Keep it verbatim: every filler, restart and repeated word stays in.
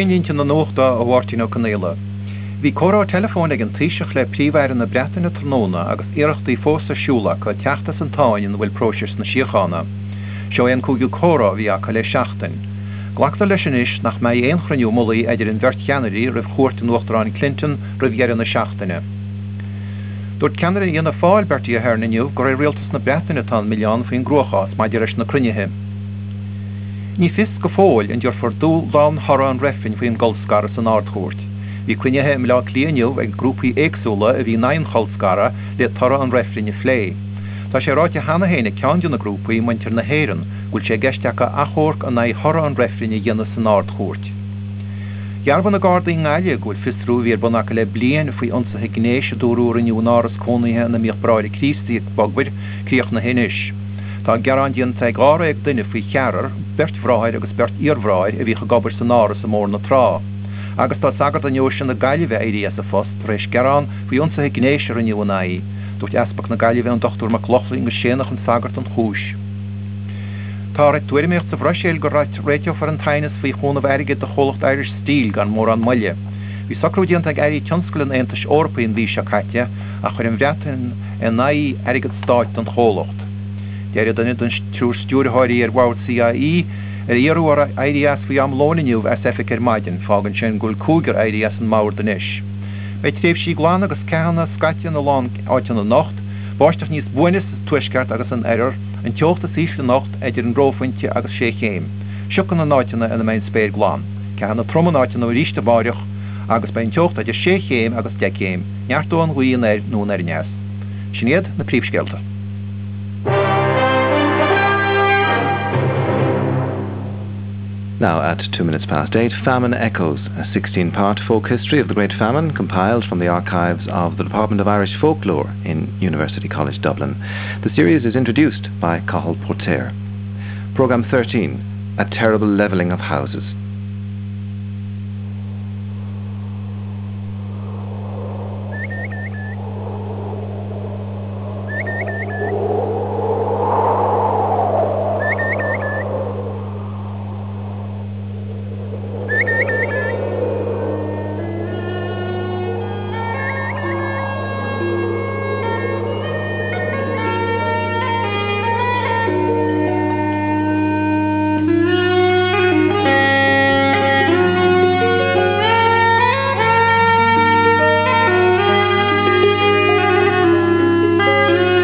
Treoirlínte na nuachta ó Mháirtín Ó Conghaile. Bhí comhrá teileafóin ag an Taoiseach le Príomh-Aire na Breataine tráthnóna agus iarrachtaí fós ar siúl acu teacht as an tsáinn ina bhfuil próiseas na síochána. Seo é an cúigiú comhrá a bhí acu le seachtain. Glactar leis anois nach mbeidh aon chruinniú mullaigh idir an bheirt cheannairí roimh chuairt an Uachtaráin Clinton roimh dheireadh na seachtaine. Dúirt ceannaire Fhianna Fáil Bertie Ahern inniu gur ar rialtas na Breataine atá an milleán faoin gcruachás maidir leis na cruinnithe. Ní fios go fóill an dtabharfar dúshlán thoradh an reifrinn faoin gcolscaradh san Ard-Chúirt. Bhí cruinnithe i mBleá Cliath inniu ag grúpaí éagsúla a bhí in aghaidh an cholscaradh le toradh an reifrinn a phlé. Tá sé ráite cheana féin ag ceann de na grúpaí Muintir na hÉireann, go bhfuil sé i gceist acu achomharc in aghaidh thoradh an reifrinn a dhéanamh san Ard-Chúirt. Dhearbhaigh na Gardaí i nGaillimh go bhfuil fiosrú a bhí ar bun acu le bliain faoi ionsaithe gnéis a dúradh a rinneadh in áras cónaithe ina mbíodh Bráithre Críostaí ag obair críochnaithe anois. Tá gearán déanta ag dháréag duine faoi cheathrar, beirt bhráthair agus beirt iarbhráthair a bhíodh ag obair san áras i mBóthar na Trá. Agus tá sagart i ndeoise na Gaillimhe éirithe as a phost tar éis gearán faoi ionsaithe gnéis a rinneadh ina aghaidh. Dúirt Easpag na Gaillimhe an Dochtúir Mac Lochlainn gur séanadh an sagart an chúis. Tá tuairimíocht sa Bhruiséil go réiteofar an t-aighneas faoi chúnamh airgid do chomhlacht Irish Steel gan mórán moille. Bhí socrú déanta ag airí tionscail an Aontais Eorpaigh an mhí seo caite ach chuir an Bhreatain in aghaidh airgead stáit don chomhlacht. D'éirigh duine den triúr stiúrthóirí ar bhord CIE ar iarradh orthu éirí as faoi am lóin inniu as oifig ar maidin, fágann sin go bhfuil cúigear éirithe as an mbord anois. Beidh tréimhsí glana agus ceathanna scaite ina lán áiteanna anocht, báisteach níos buaine sa tuaisceart agus san oirthear, an teocht is ísle anocht idir an reophointe agus sé chéim. Siocanna in áiteanna ina mbeidh an spéir glan. Ceathanna troma in áiteanna arís amárach agus beidh an teocht idir sé chéim agus deich gcéim, neartóidh an ghaoth anoir nó anoir aneas. Sin iad na príomhscéalta. Now at two minutes past eight, Famine Echoes, a sixteen-part folk history of the Great Famine compiled from the archives of the Department of Irish Folklore in University College Dublin. The series is introduced by Cathal Póirtéir. Programme thirteen, A Terrible Levelling of Houses.